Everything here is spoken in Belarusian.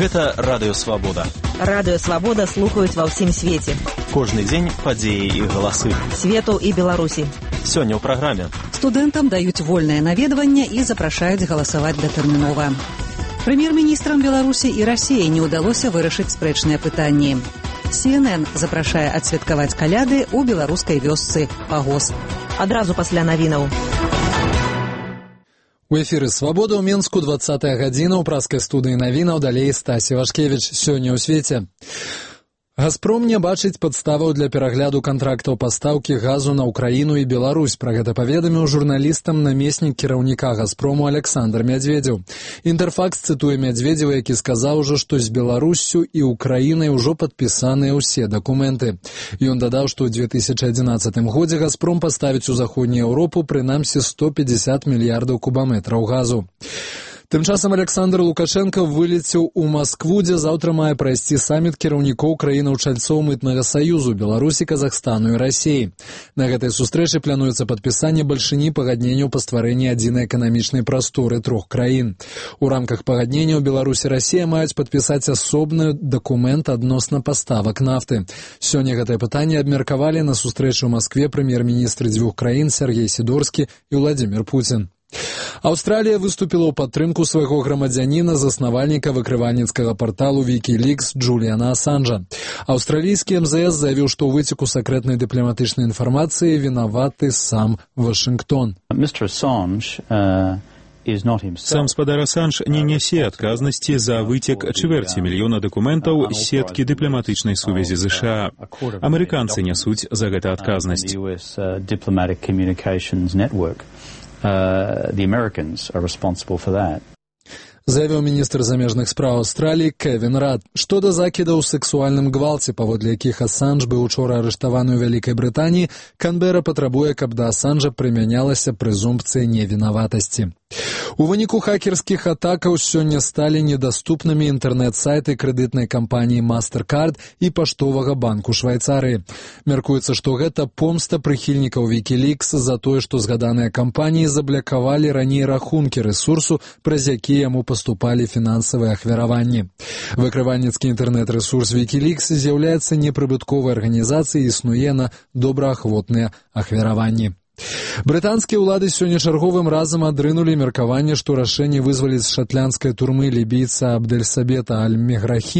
Гэта Радыё Свабода. Радыё Свабода слухаюць ва ўсім свеце. Кожны дзень падзеі і галасы. Свету і Беларусі. Сёння ў праграме. Студэнтам даюць вольнае наведванне і запрашаюць галасаваць датэрмінова. Прэм'ер-міністрам Беларусі і Расіі не ўдалося вырашыць спрэчныя пытанні. CNN запрашае адсвяткаваць каляды ў беларускай вёсцы Пагос. Адразу пасля навінаў. У эфіры «Свабода» ў Менску 20-я гадзіна ў праскай студыі навінаў, далей Стасі Вашкевіч. Сёння ў свеце. «Газпром» не бачыць падставаў для перагляду кантрактаў пастаўкі газу на Украіну і Беларусь. Пра гэта паведаміў журналістам намеснік кіраўніка «Газпрому» Александр Медведзеў. «Інтэрфакс» цытуе Медведзева, які сказаў ужо, што з Беларуссю і Украінай ужо падпісаныя ўсе дакументы. Ён дадаў, што ў 2011 годзе «Газпром» паставіць у заходнюю Еўропу прынамсі 150 мільярдаў кубаметраў газу. Тым часам Александр Лукашенко вылецеў у Маскву, дзе заўтра мае прайсці саміт кіраўнікоў краінаў-чальцоў мытнага саюзу Беларусі, Казахстану і Расіі. На гэтай сустрэчы плануецца падпісанне бальшыні пагадненняў па стварэнні адзінай эканамічнай прасторы трох краін. У рамках пагадненняў Беларусь і Расія маюць падпісаць асобны дакумент адносна паставак нафты. Сёння гэтае пытанне абмеркавалі на сустрэчы ў Маскве прэм'ер-міністры дзвюх краін Сергей Сідорскі і Владзімір Пуцін. Аўстралія выступіла ў падтрымку свайго грамадзяніна, заснавальніка выкрывальніцкага парталу Wikileaks Джуліана Асанжа. Аўстралійскі МЗС заявіў, што ў выцеку сакрэтнай дыпламатычнай інфармацыі вінаваты сам Вашынгтон. Сам спадар Асанж не нясе адказнасці за выцек чвэрці мільёна дакументаў з сеткі дыпламатычнай сувязі США. Амерыканцы нясуць за гэта адказнасць. The Americans are responsible for that. Заявіў міністр замежных спраў Аўстраліі Кевін Рад. Што да закідаў у сексуальным гвалце, паводле якіх Асанж быў учора арыштаваны ў Вялікай Брытаніі, Канбера патрабуе, каб да Асанжа прымянялася прэзумпцыя невінаватасці. У выніку хакерскіх атакаў сёння сталі недаступнымі інтэрнэт-сайты крэдытнай кампаніі MasterCard і паштовага банку Швайцарыі. Мяркуецца, што гэта помста прыхільнікаў Wikileaks за тое, што згаданыя кампаніі заблякавалі раней рахункі рэсурсу, праз які яму паступалі фінансавыя ахвяраванні. Выкрывальніцкі інтэрнэт-рэсурс Wikileaks з'яўляецца непрыбытковай арганізацыяй і існуе на добраахвотныя ахвяраванні. Брытанскія ўлады сёння чарговым разам адрынулі меркаванне, што рашэнне вызваліць з шатландскай турмы лібійца Абдэльсабета Аль-Меграхі